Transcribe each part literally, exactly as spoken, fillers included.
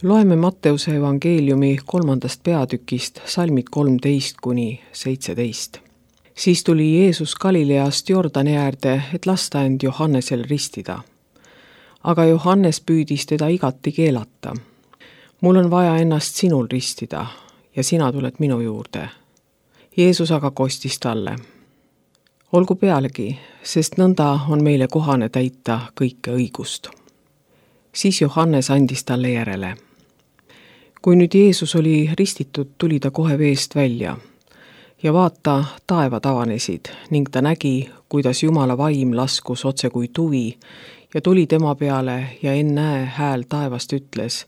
Loeme Matteuse evangeeliumi kolmandast peatükist salmid kolmteist kuni seitseteist. Siis tuli Jeesus Galileast Jordani äärde, et lasta end Johannesel ristida. Aga Johannes püüdis teda igati keelata. Mul on vaja ennast sinul ristida ja sina tuled minu juurde. Jeesus aga kostis talle. Olgu pealegi, sest nõnda on meile kohane täita kõike õigust. Siis Johannes andis talle järele. Kui nüüd Jeesus oli ristitud, tuli ta kohe veest välja ja vaata, taevad avanesid ning ta nägi, kuidas Jumala vaim laskus otse kui tuvi ja tuli tema peale ja ennäe hääl taevast ütles,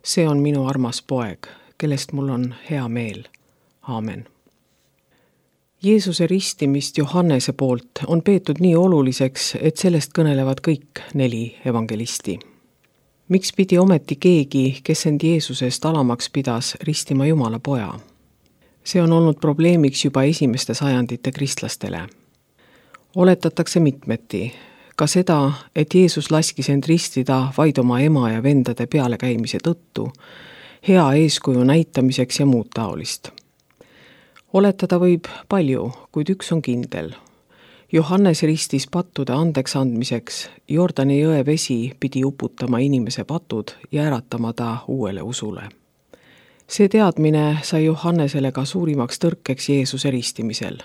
see on minu armas poeg, kellest mul on hea meel. Aamen. Jeesuse ristimist Johannese poolt on peetud nii oluliseks, et sellest kõnelevad kõik neli evangelisti. Miks pidi ometi keegi, kes end Jeesusest alamaks pidas, ristima Jumala poja? See on olnud probleemiks juba esimeste sajandite kristlastele. Oletatakse mitmeti, ka seda, et Jeesus laskis end ristida vaid oma ema ja vendade pealekäimise tõttu, hea eeskuju näitamiseks ja muud taolist. Oletada võib palju, kuid üks on kindel. Johannes ristis pattude andeks andmiseks, Jordani jõe vesi pidi uputama inimese patud ja äratama ta uuele usule. See teadmine sai Johannesele ka suurimaks tõrkeks Jeesuse ristimisel.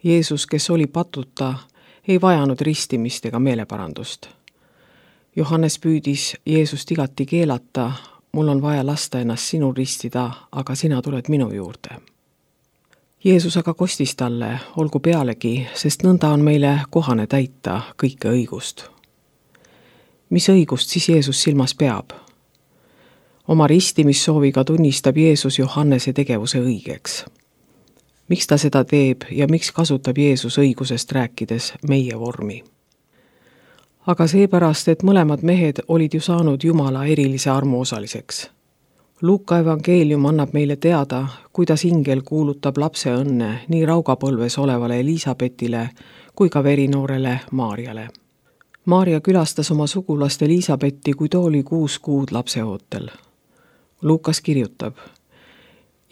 Jeesus, kes oli patuta, ei vajanud ristimist ega meeleparandust. Johannes püüdis Jeesust igati keelata, mul on vaja lasta ennast sinul ristida, aga sina tuled minu juurde. Jeesus aga kostis talle, olgu pealegi, sest nõnda on meile kohane täita kõike õigust. Mis õigust siis Jeesus silmas peab? Oma ristimissooviga tunnistab Jeesus Johannese tegevuse õigeks. Miks ta seda teeb ja miks kasutab Jeesus õigusest rääkides meie vormi? Aga seepärast, et mõlemad mehed olid ju saanud Jumala erilise armu osaliseks. Luuka evangeelium annab meile teada, kuidas ingel kuulutab lapse õnne nii raugapõlves olevale Elisabetile kui ka verinoorele Maarjale. Maarja külastas oma sugulast Elisabetti, kui too oli kuus kuud lapseootel. Luukas kirjutab,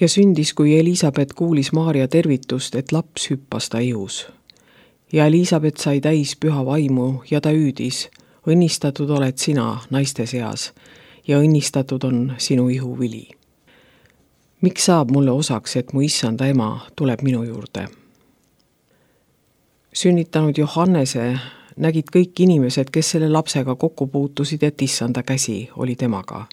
ja sündis, kui Elisabet kuulis Maarja tervitust, et laps hüppas ta ihus. Ja Elisabet sai täis püha vaimu ja ta hüüdis, õnnistatud oled sina naiste seas ja õnnistatud on sinu ihu vili. Miks saab mulle osaks, et mu issanda ema tuleb minu juurde? Sünnitanud Johannese nägid kõik inimesed, kes selle lapsega kokku puutusid, et issanda käsi oli temaga.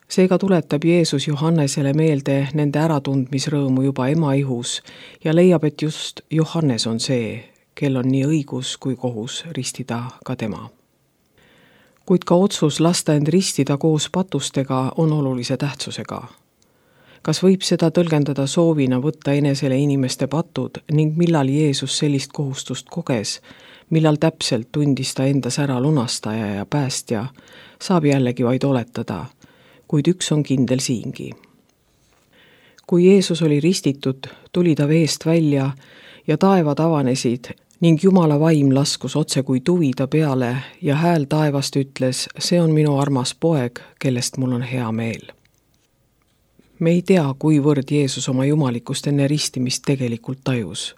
Seega tuletab Jeesus Johannesele meelde nende äratundmisrõõmu juba ema ihus ja leiab, et just Johannes on see, kel on nii õigus kui kohus ristida ka tema. Kuid ka otsus lasta end ristida koos patustega on olulise tähtsusega. Kas võib seda tõlgendada soovina võtta enesele inimeste patud ning millal Jeesus sellist kohustust koges, millal täpselt tundis ta endas ära lunastaja ja päästja, saab jällegi vaid oletada, kuid üks on kindel siingi. Kui Jeesus oli ristitud, tuli ta veest välja ja taevad avanesid ning Jumala vaim laskus otse kui tuvi ta peale ja hääl taevast ütles, see on minu armas poeg, kellest mul on hea meel. Me ei tea, kuivõrd Jeesus oma jumalikust enne ristimist tegelikult tajus,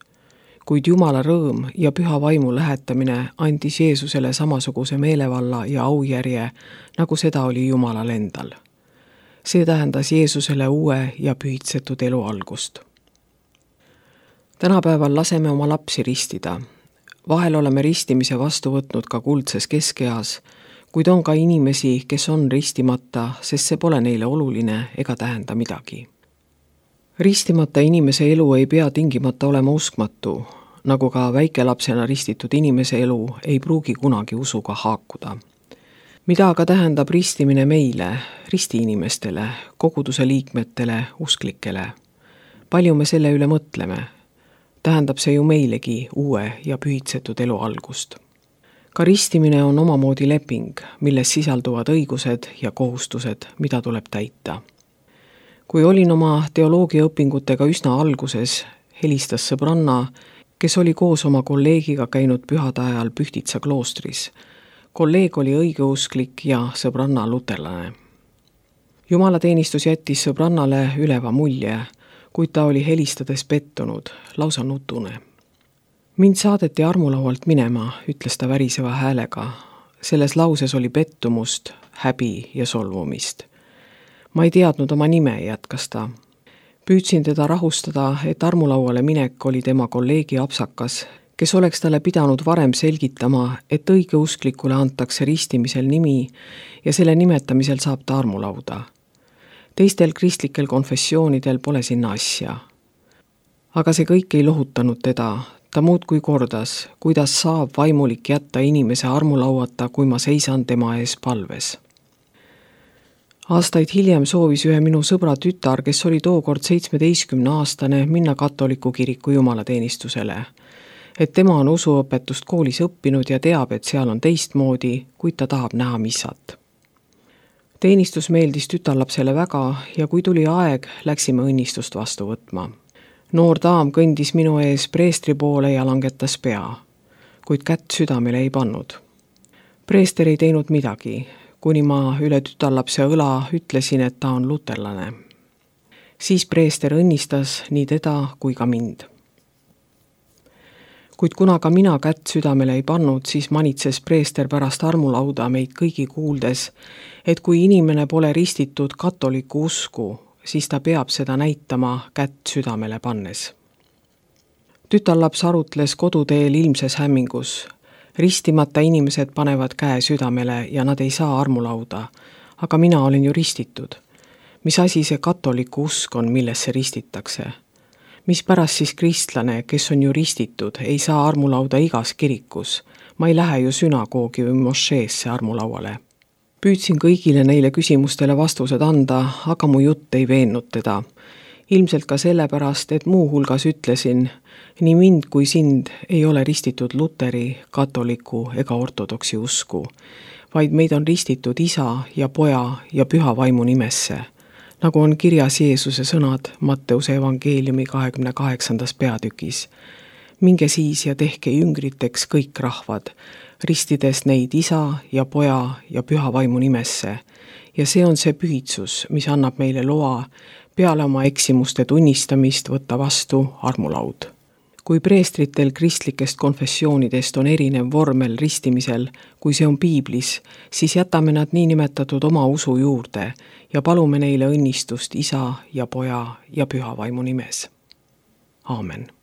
kuid Jumala rõõm ja püha vaimu lähetamine andis Jeesusele samasuguse meelevalla ja aujärje, nagu seda oli Jumalal endal. See tähendas Jeesusele uue ja pühitsetud elu algust. Tänapäeval laseme oma lapsi ristida. Vahel oleme ristimise vastu võtnud ka kuldses keskeas, kuid on ka inimesi, kes on ristimata, sest see pole neile oluline ega tähenda midagi. Ristimata inimese elu ei pea tingimata olema uskmatu, nagu ka väikelapsena ristitud inimese elu ei pruugi kunagi usuga haakuda. Mida aga tähendab ristimine meile, ristiinimestele, koguduse liikmetele, usklikele? Palju me selle üle mõtleme? Tähendab see ju meilegi uue ja pühitsetud elu algust. Ka ristimine on omamoodi leping, milles sisalduvad õigused ja kohustused, mida tuleb täita. Kui olin oma teoloogiaõpingutega üsna alguses, helistas sõbranna, kes oli koos oma kolleegiga käinud pühade ajal Pühtitsa kloostris. Kolleeg oli õigeusklik ja sõbranna luterlane. Jumalateenistus jättis sõbrannale üleva mulje, kuid ta oli helistades pettunud, lausa nutune. Mind saadeti armulaualt minema, ütles ta väriseva häälega. Selles lauses oli pettumust, häbi ja solvumist. Ma ei teadnud oma nime, jätkas ta. Püüdsin teda rahustada, et armulauale minek oli tema kolleegi apsakas, kes oleks talle pidanud varem selgitama, et õigeusklikule antakse ristimisel nimi ja selle nimetamisel saab ta armulauda. Teistel kristlikel konfessioonidel pole sinna asja. Aga see kõik ei lohutanud teda. Ta muudkui kordas, kuidas saab vaimulik jätta inimese armulauata, kui ma seisan tema ees palves. Aastaid hiljem soovis ühe minu sõbra tütar, kes oli tookord seitsmeteistkümne aastane, minna katoliku kiriku jumalateenistusele. Et tema on usuõpetust koolis õppinud ja teab, et seal on teistmoodi, kuid ta tahab näha missat. Teenistus meeldis tütarlapsele väga ja kui tuli aeg, läksime õnnistust vastu võtma. Noor daam kõndis minu ees preestri poole ja langetas pea, kuid kätt südamele ei pannud. Preester ei teinud midagi, kuni ma üle tütarlapse õla ütlesin, et ta on luterlane. Siis preester õnnistas nii teda kui ka mind. Kuid kuna ka mina kätt südamele ei pannud, siis manitses preester pärast armulauda meid kõigi kuuldes, et kui inimene pole ristitud katoliku usku, siis ta peab seda näitama kätt südamele pannes. Tütarlaps arutles koduteel ilmses hämmingus. Ristimata inimesed panevad käe südamele ja nad ei saa armulauda, aga mina olen ju ristitud. Mis asi see katoliku usk on, millesse ristitakse? Mis pärast siis kristlane, kes on ju ristitud, ei saa armulauda igas kirikus? Ma ei lähe ju sünagoogi või mošeesse armulauale. Püüdsin kõigile neile küsimustele vastused anda, aga mu jutt ei veennud teda. Ilmselt ka sellepärast, et muu hulgas ütlesin, nii mind kui sind ei ole ristitud luteri, katoliku ega ortodoksi usku, vaid meid on ristitud isa ja poja ja püha vaimu nimesse, nagu on kirjas Jeesuse sõnad Matteuse evangeeliumi kahekümne kaheksandas peatükis. Minge siis ja tehke jüngriteks kõik rahvad, ristides neid isa ja poja ja püha vaimu nimesse. Ja see on see pühitsus, mis annab meile loa peale oma eksimuste tunnistamist võtta vastu armulaud. Kui preestritel kristlikest konfessioonidest on erinev vormel ristimisel, kui see on piiblis, siis jätame nad niinimetatud oma usu juurde ja palume neile õnnistust isa ja poja ja püha vaimu nimes. Aamen.